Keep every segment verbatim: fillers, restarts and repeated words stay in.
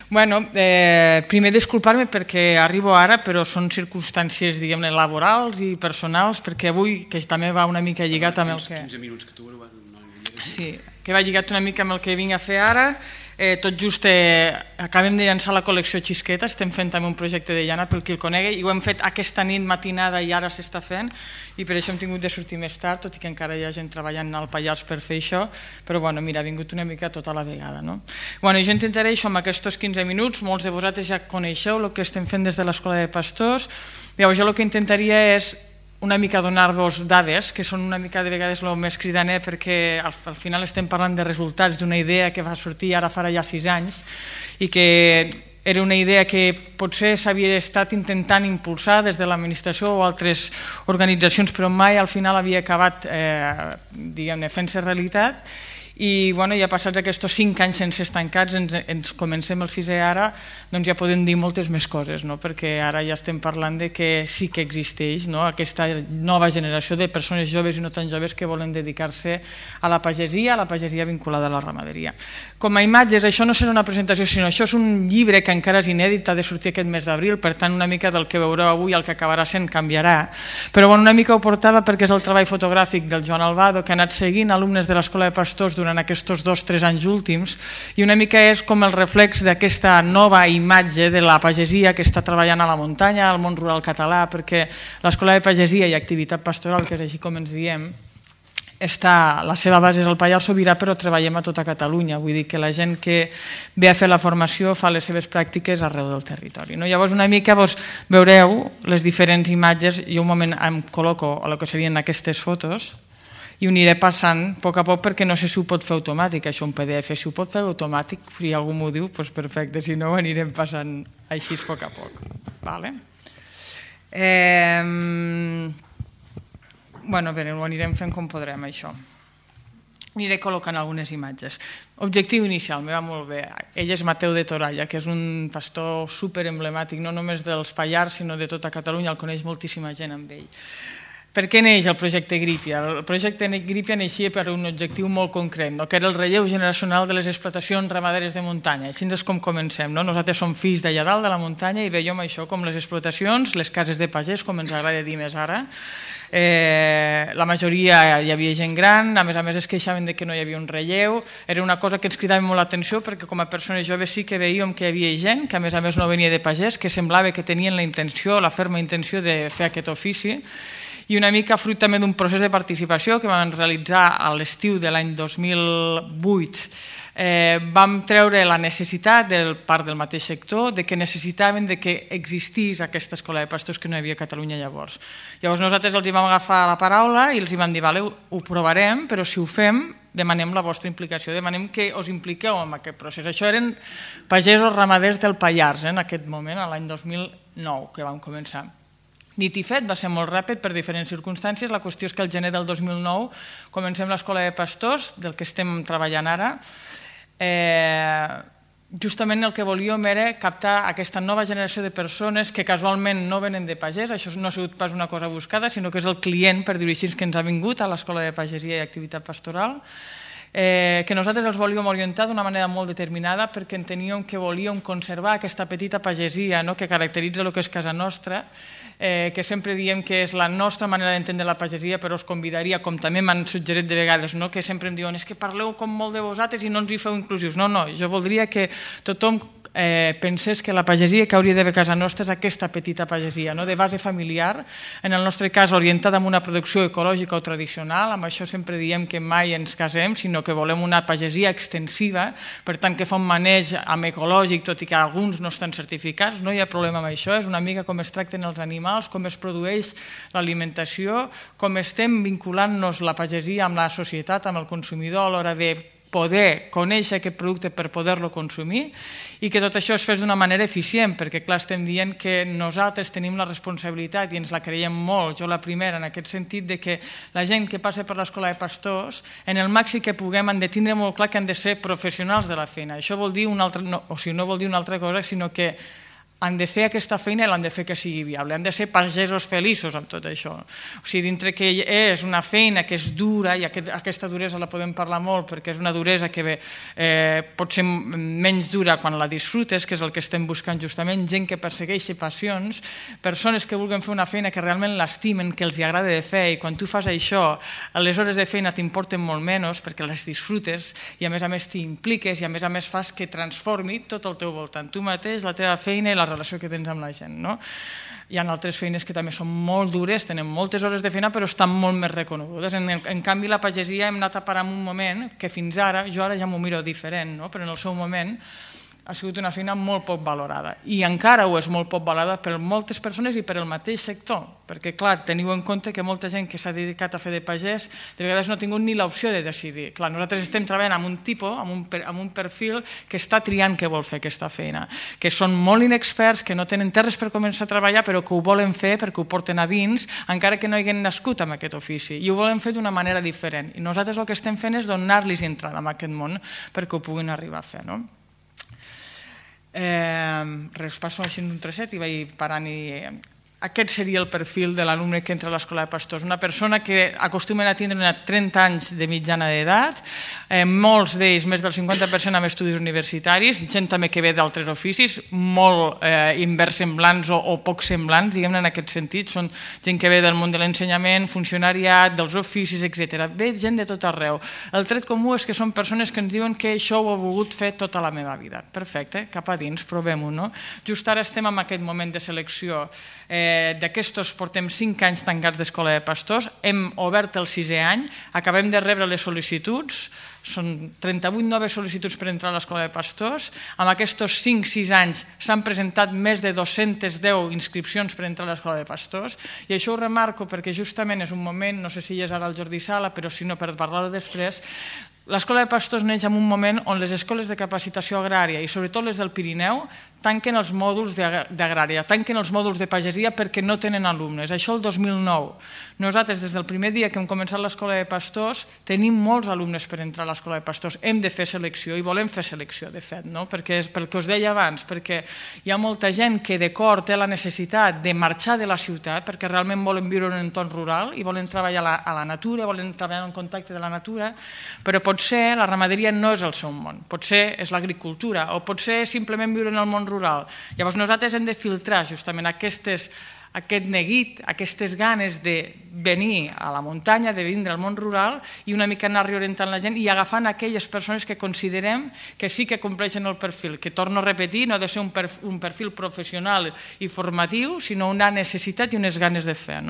Bueno, eh, primer disculpar-me perquè arribo ara, però són circumstàncies, diguem-ne, laborals i personals, perquè avui, que també va una mica lligat amb el que... quinze minuts que tu no Sí, que va lligat una mica amb el que vinc a fer ara. Eh, tot just eh, acabem de llançar la col·lecció Xisqueta, estem fent també un projecte de llana pel qui el conegui, i ho hem fet aquesta nit matinada i ara s'està fent, i per això hem tingut de sortir més tard, tot i que encara hi ha gent treballant al Pallars per fer això, però bueno, mira, ha vingut una mica tota la vegada. No? Bueno, jo intentaré això amb aquests quinze minuts, molts de vosaltres ja coneixeu el que estem fent des de l'Escola de Pastors. Llavors jo el que intentaria és una mica donar-vos dades, que són una mica de vegades el més cridaner, perquè al, al final estem parlant de resultats d'una idea que va sortir ara farà ja sis anys i que era una idea que potser s'havia estat intentant impulsar des de l'administració o altres organitzacions, però mai al final havia acabat eh, diguem-ne, fent-se realitat. I bueno, ja passats aquests cinc anys sense estancats, ens, ens comencem el sisè ara, doncs ja podem dir moltes més coses, no? Perquè ara ja estem parlant de que sí que existeix, no? Aquesta nova generació de persones joves i no tan joves que volen dedicar-se a la pagesia, a la pagesia vinculada a la ramaderia. Com a imatges, això no serà una presentació, sinó això és un llibre que encara és inèdit, ha de sortir aquest mes d'abril, per tant una mica del que veureu avui el que acabarà sent canviarà, però bueno, una mica ho portava perquè és el treball fotogràfic del Joan Albado, que ha anat seguint alumnes de l'Escola de Pastors durant en aquests dos o tres anys últims, i una mica és com el reflex d'aquesta nova imatge de la pagesia que està treballant a la muntanya, al món rural català, perquè l'Escola de Pagesia i Activitat Pastoral, que és així com ens diem, està, la seva base és el Pallars Sobirà, però treballem a tota Catalunya, vull dir que la gent que ve a fer la formació fa les seves pràctiques arreu del territori. No? Llavors una mica vos veureu les diferents imatges, jo un moment em col·loco a el que serien aquestes fotos, i ho aniré passant a poc a poc perquè no sé si ho pot fer automàtic, això un P D F, si ho pot fer automàtic, si algú m'ho diu, doncs perfecte, si no ho anirem passant així a poc a poc. Vale? Eh, bueno, bé, ho anirem fent com podrem, això. Aniré col·locant algunes imatges. Objectiu inicial, me va molt bé. Ell és Mateu de Toralla, que és un pastor superemblemàtic, no només dels Pallars, sinó de tota Catalunya, el coneix moltíssima gent amb ell. Per què neix el projecte Grípia? El projecte Grípia neixia per un objectiu molt concret, no? Que era el relleu generacional de les explotacions ramaderes de muntanya. Així és com comencem. No? Nosaltres som fills d'allà dalt de la muntanya i veiem això com les explotacions, les cases de pagès, com ens agrada dir més ara. Eh, la majoria hi havia gent gran, a més a més es queixaven de que no hi havia un relleu, era una cosa que ens cridava molt l'atenció perquè com a persones joves sí que veiem que hi havia gent que a més a més no venia de pagès, que semblava que tenien la intenció, la ferma intenció de fer aquest ofici, i una mica fruit també d'un procés de participació que vam realitzar a l'estiu de l'any dos mil vuit. Eh, vam treure la necessitat del part del mateix sector de que necessitaven de que existís aquesta escola de pastors que no hi havia a Catalunya llavors. Llavors nosaltres els hi vam agafar la paraula i els hi vam dir, vale, ho provarem, però si ho fem demanem la vostra implicació, demanem que us impliqueu en aquest procés. Això eren pagesos ramaders del Pallars, eh, en aquest moment, l'any dos mil nou que vam començar. Dit i fet, va ser molt ràpid per diferents circumstàncies. La qüestió és que el gener del dos mil nou comencem l'Escola de Pastors, del que estem treballant ara. Eh, justament el que volíem era captar aquesta nova generació de persones que casualment no venen de pagès, això no ha sigut pas una cosa buscada, sinó que és el client, per dir-ho així, que ens ha vingut a l'Escola de Pagesia i Activitat Pastoral, eh, que nosaltres els volíem orientar d'una manera molt determinada perquè enteníem que volíem conservar aquesta petita pagesia, no?, que caracteritza el que és casa nostra, eh, que sempre diem que és la nostra manera d'entendre la pagesia, però us convidaria, com també m'han suggerit de vegades, no?, que sempre em diuen és que parleu com molt de vosaltres i no ens hi feu inclusius. No, no, jo voldria que tothom Eh, pensés que la pagesia que hauria d'haver a casa nostra és aquesta petita pagesia, no? De base familiar, en el nostre cas orientada a una producció ecològica o tradicional, amb això sempre diem que mai ens casem, sinó que volem una pagesia extensiva, per tant que fa un maneig amb ecològic, tot i que alguns no estan certificats, no hi ha problema amb això, és una mica com es tracten els animals, com es produeix l'alimentació, com estem vinculant-nos la pagesia amb la societat, amb el consumidor a l'hora de poder conèixer aquest producte per poder-lo consumir i que tot això es fes d'una manera eficient, perquè clar, estem dient que nosaltres tenim la responsabilitat i ens la creiem molt, jo la primera, en aquest sentit de que la gent que passa per l'Escola de Pastors, en el màxim que puguem, han de tindre molt clar que han de ser professionals de la feina. Això vol dir una altra, no, o sigui, no vol dir una altra cosa, sinó que han de fer aquesta feina i l'han de fer que sigui viable, han de ser pagesos feliços amb tot això. O sigui, dintre que és una feina que és dura, i aquesta duresa la podem parlar molt perquè és una duresa que pot ser menys dura quan la disfrutes, que és el que estem buscant justament, gent que persegueixi passions, persones que vulguin fer una feina que realment l'estimen, que els agrada de fer, i quan tu fas això, les hores de feina t'importen molt menys perquè les disfrutes i a més a més t'hi impliques i a més a més fas que transformi tot el teu voltant, tu mateix, la teva feina i la relació que tens amb la gent. Hi ha altres feines que també són molt dures, tenen moltes hores de feina però estan molt més reconegudes. En canvi, la pagesia hem anat a parar en un moment que fins ara, jo ara ja m'ho miro diferent, però en el seu moment ha sigut una feina molt poc valorada i encara ho és molt poc valorada per moltes persones i per el mateix sector, perquè clar, teniu en compte que molta gent que s'ha dedicat a fer de pagès de vegades no ha tingut ni l'opció de decidir. Clar, nosaltres estem treballant amb un tipus, amb un perfil que està triant què vol fer aquesta feina, que són molt inexperts, que no tenen terres per començar a treballar però que ho volen fer perquè ho porten a dins, encara que no hagin nascut amb aquest ofici, i ho volen fer d'una manera diferent. I nosaltres el que estem fent és donar-los entrada en aquest món perquè ho puguin arribar a fer. Res, passo així un trosset i vaig parant i... Aquest seria el perfil de l'alumne que entra a l'Escola de Pastors, una persona que acostumen a tindre trenta anys de mitjana d'edat, molts d'ells, més del cinquanta per cent amb estudis universitaris, gent també que ve d'altres oficis, molt inversemblants o poc semblants, diguem-ne en aquest sentit, són gent que ve del món de l'ensenyament, funcionariat, dels oficis, etcètera. Ve gent de tot arreu. El tret comú és que són persones que ens diuen que això ho he volgut fer tota la meva vida. Perfecte, cap a dins, provem-ho, no? Just ara estem en aquest moment de selecció. D'aquestos portem cinc anys tancats d'Escola de Pastors, hem obert el sisè any, acabem de rebre les sol·licituds, són trenta-vuit noves sol·licituds per entrar a l'Escola de Pastors, amb aquests cinc sis anys s'han presentat més de dos-centes deu inscripcions per entrar a l'Escola de Pastors, i això ho remarco perquè justament és un moment, no sé si és ara el Jordi Sala, però si no per parlar-ho després, l'Escola de Pastors neix en un moment on les escoles de capacitació agrària i sobretot les del Pirineu tanquen els mòduls d'agrària, tanquen els mòduls de pagesia perquè no tenen alumnes. Això el dos mil nou. Nosaltres, des del primer dia que hem començat l'Escola de Pastors, tenim molts alumnes per entrar a l'Escola de Pastors. Hem de fer selecció i volem fer selecció, de fet, perquè és pel que us deia abans, perquè hi ha molta gent que de cor té la necessitat de marxar de la ciutat perquè realment volen viure en un entorn rural i volen treballar a la natura, volen treballar en contacte de la natura, però potser la ramaderia no és el seu món, potser és l'agricultura o potser simplement viure en el món rural. Llavors nosaltres hem de filtrar justament aquestes, aquest neguit, aquestes ganes de venir a la muntanya, de vindre al món rural i una mica anar reorientant la gent i agafant aquelles persones que considerem que sí que compleixen el perfil, que torno a repetir, no ha de ser un perfil professional i formatiu, sinó una necessitat i unes ganes de fer.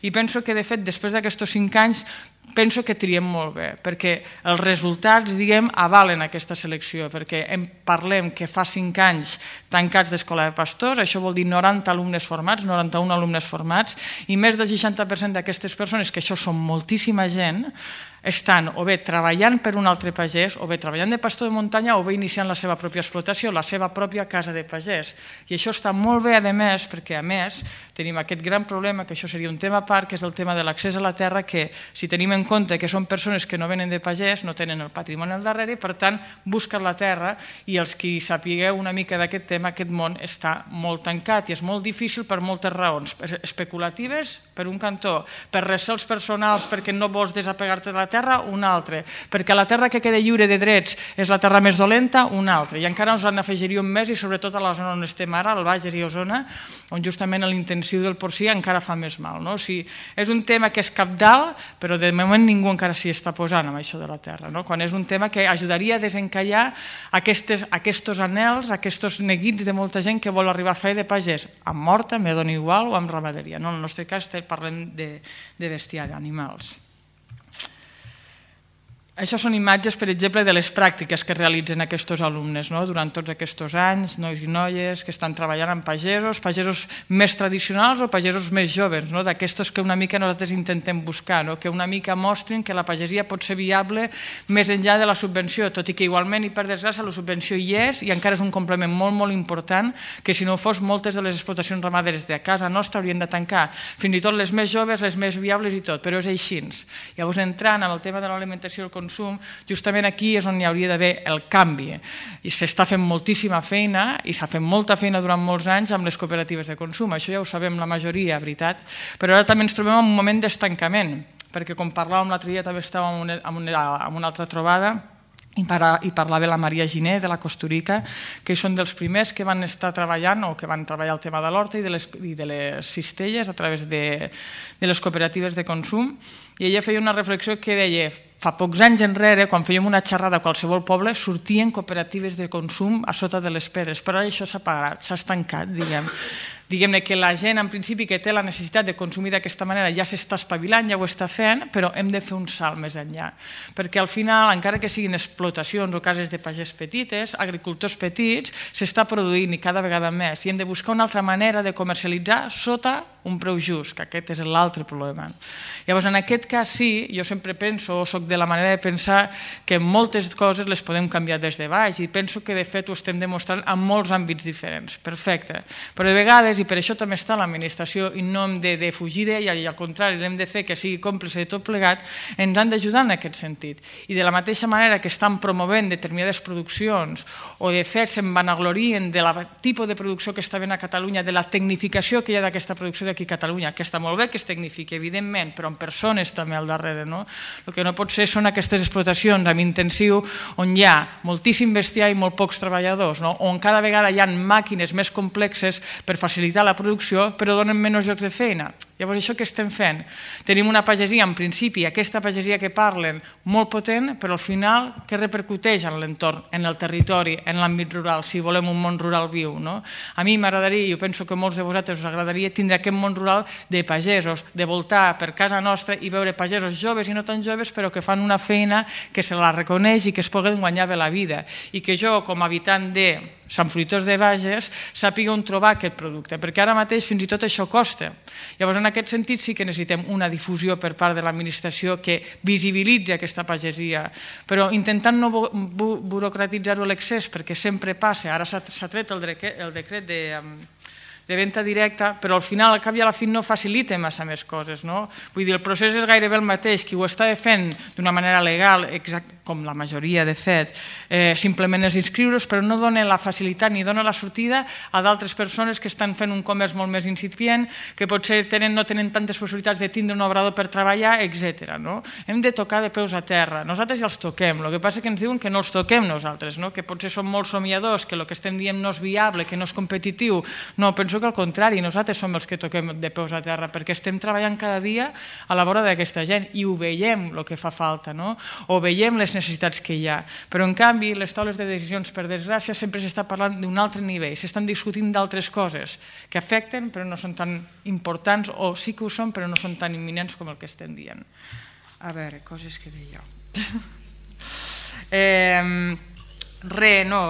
I penso que, de fet, després d'aquests cinc anys, penso que triem molt bé, perquè els resultats, diguem, avalen aquesta selecció, perquè parlem que fa cinc anys tancats d'Escola de Pastors, això vol dir noranta alumnes formats, noranta-un alumnes formats, i més del seixanta per cent d'aquestes persones, que això són moltíssima gent, estan o bé treballant per un altre pagès, o bé treballant de pastor de muntanya, o bé iniciant la seva pròpia explotació, la seva pròpia casa de pagès. I això està molt bé, a més, perquè a més tenim aquest gran problema, que això seria un tema a part, que és el tema de l'accés a la terra, que si tenim en compte que són persones que no venen de pagès, no tenen el patrimoni al darrere, i per tant busquen la terra, i els qui sapigueu una mica d'aquest tema, aquest món està molt tancat i és molt difícil per moltes raons, especulatives per un cantó, per recels personals perquè no vols desapegar-te de la terra, un altre, perquè la terra que queda lliure de drets és la terra més dolenta, un altre, i encara ens en afegiríem més, i sobretot a la zona on estem ara, al Bages i Osona, on justament l'intensiu del porcí encara fa més mal. És un tema que és cabdal, però de moment ningú encara s'hi està posant amb això de la terra, quan és un tema que ajudaria a desencallar aquests anhels, aquests neguits de molta gent que vol arribar a fer de pagès, amb morta, me dona igual, o amb ramaderia. En el nostre cas parlem de bestiar, d'animals. Això són imatges, per exemple, de les pràctiques que realitzen aquests alumnes durant tots aquests anys, nois i noies que estan treballant amb pagesos, pagesos més tradicionals o pagesos més joves, d'aquestos que una mica nosaltres intentem buscar, que una mica mostrin que la pagesia pot ser viable més enllà de la subvenció, tot i que igualment, i per desgràcia, la subvenció hi és i encara és un complement molt, molt important, que si no fos, moltes de les explotacions ramaderes de casa nostra haurien de tancar, fins i tot les més joves, les més viables i tot, però és així. Llavors, entrant en el tema de l'alimentació i el consum, consum, justament aquí és on hi hauria d'haver el canvi. I s'està fent moltíssima feina i s'ha fet molta feina durant molts anys amb les cooperatives de consum. Això ja ho sabem la majoria, veritat, però ara també ens trobem en un moment d'estancament, perquè com parlàvem l'altre dia també estàvem en una altra trobada i parlava la Maria Giner de la Costurica, que són dels primers que van estar treballant o que van treballar el tema de l'horta i de les cistelles a través de les cooperatives de consum, i ella feia una reflexió que deia: fa pocs anys enrere, quan fèiem una xerrada a qualsevol poble, sortien cooperatives de consum a sota de les pedres, però ara això s'ha parat, s'ha estancat, diguem. Diguem-ne que la gent, en principi, que té la necessitat de consumir d'aquesta manera ja s'està espavilant, ja ho està fent, però hem de fer un salt més enllà. Perquè al final, encara que siguin explotacions o cases de pagès petites, agricultors petits, s'està produint i cada vegada més, i hem de buscar una altra manera de comercialitzar sota un preu just, que aquest és l'altre problema. Llavors, en aquest cas sí, jo sempre penso, o soc de la manera de pensar, que moltes coses les podem canviar des de baix, i penso que de fet ho estem demostrant en molts àmbits diferents. Perfecte. Però de vegades, i per això també està l'administració, i no hem de fugir d'ella, i al contrari, l'hem de fer que sigui còmplice de tot plegat, ens han d'ajudar en aquest sentit. I de la mateixa manera que estan promovent determinades produccions, o de fet se'n vanaglorien del tipus de producció que està fent a Catalunya, de la tecnificació que hi ha d'aquesta producció aquí a Catalunya, que està molt bé que es tecnifiqui, evidentment, però amb persones també al darrere. El que no pot ser són aquestes explotacions amb intensiu on hi ha moltíssim bestiar i molt pocs treballadors, on cada vegada hi ha màquines més complexes per facilitar la producció, però donen menys llocs de feina. Llavors, això que estem fent? Tenim una pagesia, en principi, aquesta pagesia que parlen, molt potent, però al final, què repercuteix en l'entorn, en el territori, en l'àmbit rural, si volem un món rural viu? A mi m'agradaria, i jo penso que a molts de vosaltres us agradaria, tindre aquest món rural de pagesos, de voltar per casa nostra i veure pagesos joves i no tan joves, però que fan una feina que se la reconeix i que es poden guanyar bé la vida. I que jo, com a habitant de Sant Fruitós de Bages, sàpiga on trobar aquest producte, perquè ara mateix fins i tot això costa. Llavors, en aquest sentit, sí que necessitem una difusió per part de l'administració que visibilitzi aquesta pagesia, però intentant no burocratitzar-ho a l'excés, perquè sempre passa. Ara s'ha tret el decret de... de venda directa, però al final, al cap i a la fi, no facilita massa més coses. Vull dir, el procés és gairebé el mateix. Qui ho està fent d'una manera legal, com la majoria, de fet, simplement és inscriure's, però no dona la facilitat ni dona la sortida a d'altres persones que estan fent un comerç molt més incipient, que potser no tenen tantes possibilitats de tindre un obrador per treballar, etcètera. Hem de tocar de peus a terra. Nosaltres ja els toquem. El que passa és que ens diuen que no els toquem nosaltres, que potser som molt somiadors, que el que estem dient no és viable, que no és competitiu. No, penso que al contrari, nosaltres som els que toquem de peus a terra, perquè estem treballant cada dia a la vora d'aquesta gent i ho veiem el que fa falta, o veiem les necessitats que hi ha. Però en canvi, les taules de decisions, per desgràcia, sempre s'està parlant d'un altre nivell, s'estan discutint d'altres coses que afecten però no són tan importants, o sí que ho són però no són tan imminents com el que estem dient. A veure, coses que deia jo. Re, no...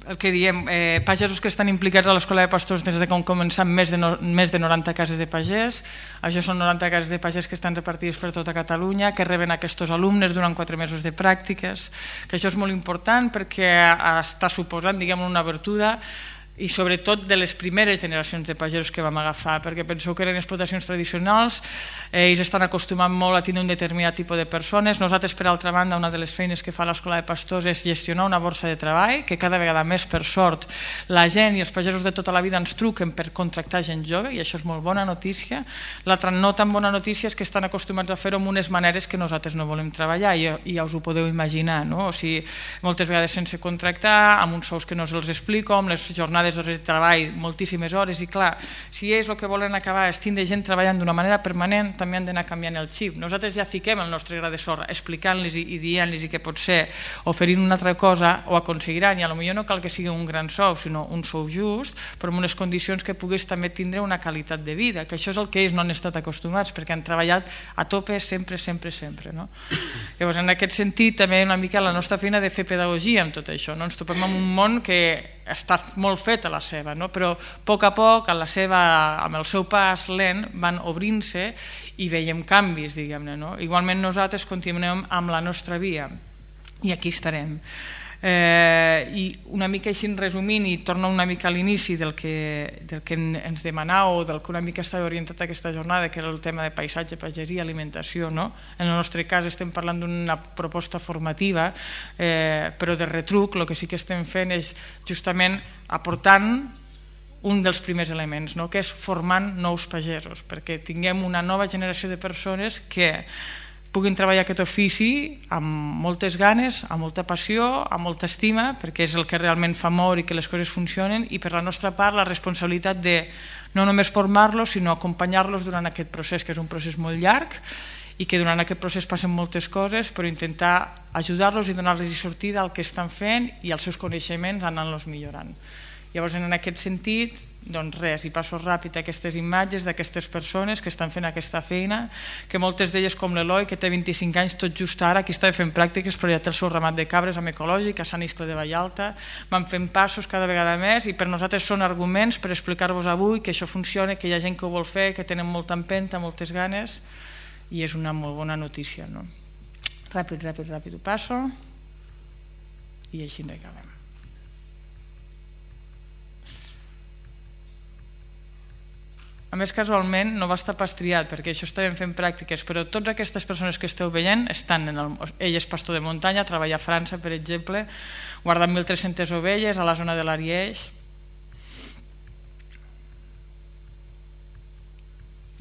el que diem, pagesos que estan implicats a l'Escola de Pastors des de que han començat més de noranta cases de pagès. Això són noranta cases de pagès que estan repartides per tota Catalunya, que reben aquests alumnes durant quatre mesos de pràctiques, que això és molt important perquè està suposant, diguem, una obertura i sobretot de les primeres generacions de pagesos que vam agafar, perquè penseu que eren explotacions tradicionals, ells estan acostumant molt a tenir un determinat tipus de persones. Nosaltres, per altra banda, una de les feines que fa l'Escola de Pastors és gestionar una borsa de treball, que cada vegada més, per sort, la gent i els pagesos de tota la vida ens truquen per contractar gent jove, i això és molt bona notícia. L'altra no tan bona notícia és que estan acostumats a fer-ho amb unes maneres que nosaltres no volem treballar, i ja us ho podeu imaginar, o sigui, moltes vegades sense contractar, amb uns sous que no els explico, amb les jornades de treball, moltíssimes hores, i clar, si ells el que volen acabar és tindre gent treballant d'una manera permanent, també han d'anar canviant el xip. Nosaltres ja fiquem el nostre gra de sorra, explicant-los i dient-los que potser oferint una altra cosa ho aconseguiran, i potser no cal que sigui un gran sou, sinó un sou just, però amb unes condicions que puguis també tindre una qualitat de vida, que això és el que ells no han estat acostumats, perquè han treballat a tope sempre, sempre, sempre. Llavors, en aquest sentit, també una mica la nostra feina de fer pedagogia amb tot això. Ens topem en un món que està molt fet a la seva, però a poc a poc, amb el seu pas lent, van obrint-se i veiem canvis, diguem-ne. Igualment nosaltres continuem amb la nostra via i aquí estarem. I una mica així resumint, i torno una mica a l'inici del que ens demanàveu, del que una mica estava orientat aquesta jornada, que era el tema de paisatge, pagesia, alimentació. En el nostre cas estem parlant d'una proposta formativa, però de retruc el que sí que estem fent és justament aportant un dels primers elements, que és formant nous pagesos, perquè tinguem una nova generació de persones que puguin treballar aquest ofici amb moltes ganes, amb molta passió, amb molta estima, perquè és el que realment fa moure i que les coses funcionen, i per la nostra part la responsabilitat de no només formar-los, sinó acompanyar-los durant aquest procés, que és un procés molt llarg i que durant aquest procés passen moltes coses, però intentar ajudar-los i donar-los sortida al que estan fent i als seus coneixements anant-los millorant. Llavors, en aquest sentit, doncs res, i passo ràpid aquestes imatges d'aquestes persones que estan fent aquesta feina, que moltes d'elles, com l'Eloi, que té vint-i-cinc anys, tot just ara, aquí estava fent pràctiques, però ja té el seu ramat de cabres amb ecològic, a Sant Iscle de Vallalta, van fent passos cada vegada més, i per nosaltres són arguments per explicar-vos avui que això funciona, que hi ha gent que ho vol fer, que tenen molta empenta, moltes ganes, i és una molt bona notícia. Ràpid, ràpid, ràpid ho passo, i així no hi acabem. A més, casualment, no va estar pas triat, perquè això estàvem fent pràctiques, però totes aquestes persones que esteu veient estan en el... Ell és pastor de muntanya, treballa a França, per exemple, guarda mil tres-centes ovelles a la zona de l'Ariège.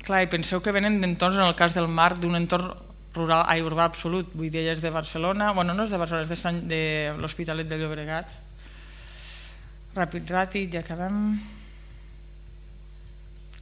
Clar, i penseu que venen d'entorns, en el cas del Marc, d'un entorn rural, ai, urbà absolut, vull dir, ella és de Barcelona, bueno, no és de Barcelona, és de l'Hospitalet de Llobregat. Ràpid, ràpid, ja acabem...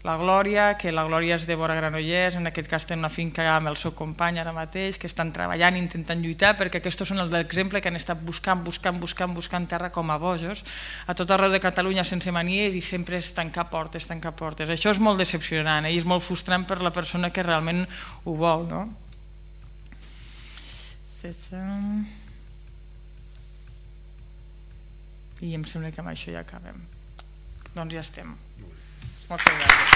La Glòria, que la Glòria és de Vora Granollers, en aquest cas té una finca amb el seu company ara mateix, que estan treballant, intentant lluitar, perquè aquests són els d'exemple que han estat buscant, buscant, buscant, buscant terra com a bojos, a tot arreu de Catalunya sense manies, i sempre és tancar portes, tancar portes. Això és molt decepcionant i és molt frustrant per la persona que realment ho vol, no? I em sembla que amb això ja acabem. Doncs ja estem. Moltes gràcies.